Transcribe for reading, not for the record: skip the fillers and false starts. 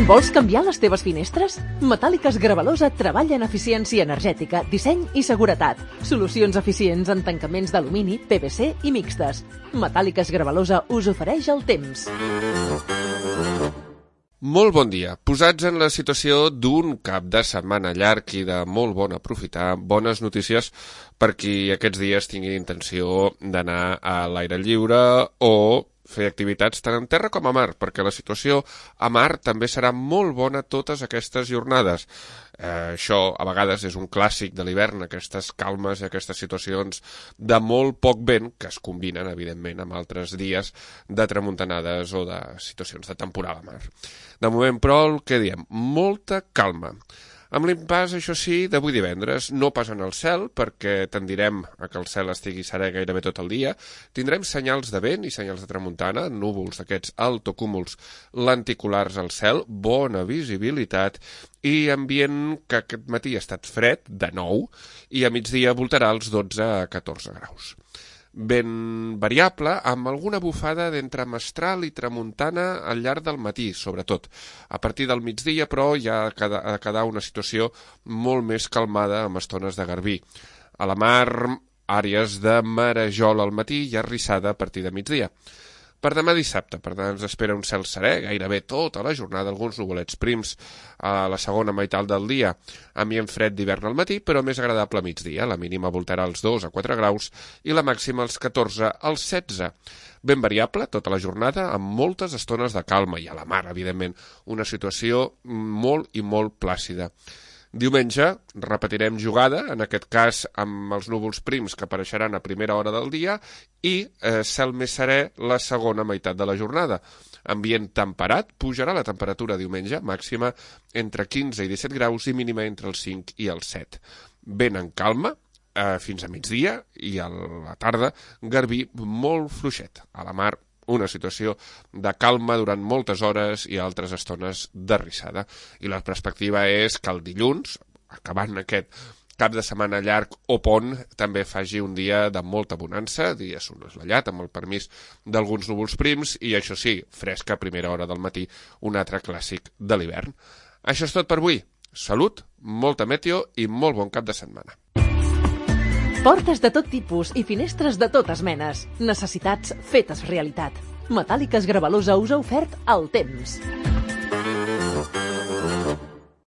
Vols canviar les teves finestres? Metàl·liques Gravalosa treballa en eficiència energètica, disseny i seguretat. Solucions eficients en tancaments d'alumini, PVC i mixtes. Metàl·liques Gravalosa us ofereix el temps. Molt bon dia. Posats en la situació d'un cap de setmana llarg i de molt bon aprofitar, bones notícies per qui aquests dies tingui intenció d'anar a l'aire lliure o fer activitats tant en terra com a mar, perquè la situació a mar també serà molt bona totes aquestes jornades. Això a vegades és un clàssic de l'hivern, aquestes calmes i aquestes situacions de molt poc vent que es combinen, evidentment, amb altres dies de tramuntanades o de situacions de temporal a mar. De moment, però, el que diem, molta calma. Amb l'impàs, això sí, d'avui divendres, no pas en el cel, perquè tendirem a que el cel estigui serè gairebé tot el dia. Tindrem senyals de vent i senyals de tramuntana, núvols d'aquests altocúmuls lenticulars al cel, bona visibilitat i ambient que aquest matí ha estat fred, de nou, i a migdia voltarà els 12 a 14 graus. Vent variable, amb alguna bufada d'entre mestral i tramuntana al llarg del matí, sobretot. A partir del migdia, però, ja ha de quedar una situació molt més calmada amb estones de garbí. A la mar, àrees de marejol al matí i arrissada a partir de migdia. Per demà dissabte, per tant, ens espera un cel serè, gairebé tota la jornada, alguns nuvolets prims a la segona meitat del dia, ambient fred d'hivern al matí, però més agradable a migdia. La mínima voltarà als 2 a 4 graus i la màxima als 14 als 16. Ben variable tota la jornada, amb moltes estones de calma i a la mar, evidentment, una situació molt i molt plàcida. Diumenge repetirem jugada, en aquest cas amb els núvols prims que apareixeran a primera hora del dia i cel més serè la segona meitat de la jornada. Ambient temperat, pujarà la temperatura diumenge, màxima entre 15 i 17 graus i mínima entre els 5 i els 7. Vent en calma fins a migdia i a la tarda garbí molt fluixet. A la mar una situació de calma durant moltes hores i altres estones d'arrissada. I la perspectiva és que el dilluns, acabant aquest cap de setmana llarg o pont, també faci un dia de molta bonança, dia assolellat, amb el permís d'alguns núvols prims, i això sí, fresca a primera hora del matí, un altre clàssic de l'hivern. Això és tot per avui. Salut, molta meteo i molt bon cap de setmana. Portes de tot tipus i finestres de totes menes. Necessitats fetes realitat. Metàl·liques Gravalosa us ha ofert el temps.